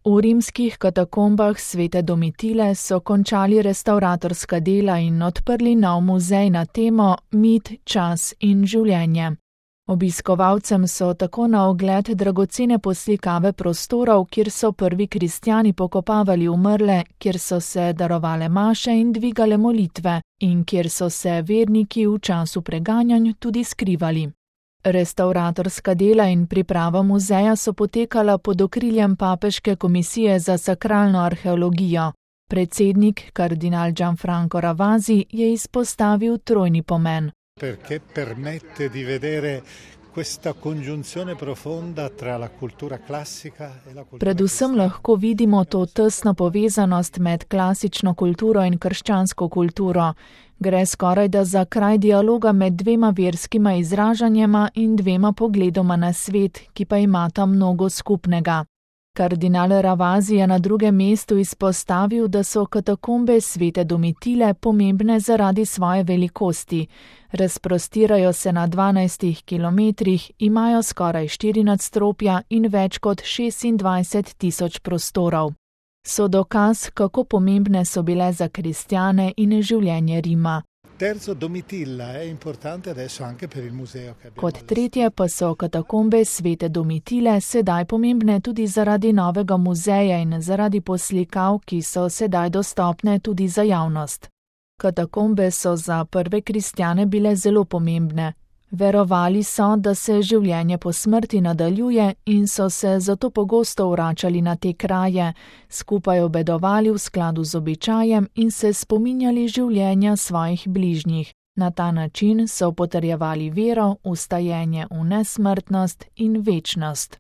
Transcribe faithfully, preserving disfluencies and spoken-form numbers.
V rimskih katakombah svete Domitile so končali restavratorska dela in odprli nov muzej na temo Mit, čas in življenje. Obiskovalcem so tako na ogled dragocene poslikave prostorov, kjer so prvi kristjani pokopavali umrle, kjer so se darovale maše in dvigale molitve in kjer so se verniki v času preganjanj tudi skrivali. Restavratorska dela in priprava muzeja so potekala pod okriljem Papeške komisije za sakralno arheologijo. Predsednik, kardinal Gianfranco Ravasi, je izpostavil trojni pomen. Perché permette di vedere questa congiunzione profonda tra la cultura classica e la cultura. Predvsem lahko vidimo to tesno povezanost med klasično kulturo in krščansko kulturo. Gre skorajda za kraj dialoga med dvema verskima izražanjema in dvema pogledoma na svet, ki pa imata mnogo skupnega. Kardinal Ravasi je na drugem mestu izpostavil, da so katakombe svete Domitile pomembne zaradi svoje velikosti. Razprostirajo se na dvanajstih kilometrih, imajo skoraj štiri nadstropja in več kot šestindvajset tisoč prostorov. So dokaz, kako pomembne so bile za kristjane in življenje Rima. Kot tretje pa so katakombe svete Domitile sedaj pomembne tudi zaradi novega muzeja in zaradi poslikav, ki so sedaj dostopne tudi za javnost. Katakombe so za prve kristjane bile zelo pomembne. Verovali so, da se življenje po smrti nadaljuje in so se zato pogosto vračali na te kraje, skupaj obedovali v skladu z običajem in se spominjali življenja svojih bližnjih. Na ta način so potrjevali vero, vstajenje v nesmrtnost in večnost.